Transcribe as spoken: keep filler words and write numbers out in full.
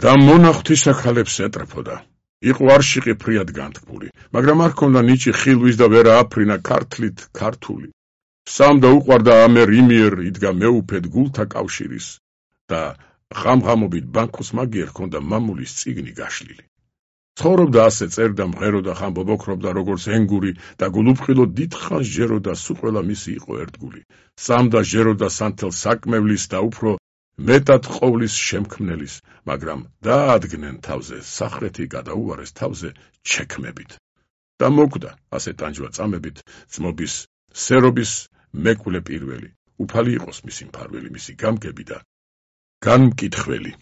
და მონახთისა ქალებს ეტრფოდა. იყო არშიყი ფრიად განთქმული, მაგრამ არ ჰქონდა ნიჭი ხილვის და ვერა აფრინა ქართლით ქართული. სამდა უყვარდა ამერ იმიერ იდგა მეუფედ გულთა კავშირის და ღამღამობით ბანკოს მაგიერ ჰქონდა მამულის წიგნი გაშლილი. ცხოვრობდა ასე, წერდა, მღეროდა, ხამბობოქრობდა როგორც ენგური და გულუფხილო დიდხანს ჯეროდა, სულ ყველა მისი იყო ერთგული. სამდა ჟეროდა სანთელ საკმევლის და უფრო მეტად ყოვლის შემქმნელის, მაგრამ დაადგნენ თავზე სახრეთი გადაუარეს თავზე ჩექმებით. და მოკვდა ასე ტანჯვა წამებით ძმობის სერობის მეკვლე პირველი. უფალი იყოს მისი მფარველი, მისი გამგები და განმკითხველი.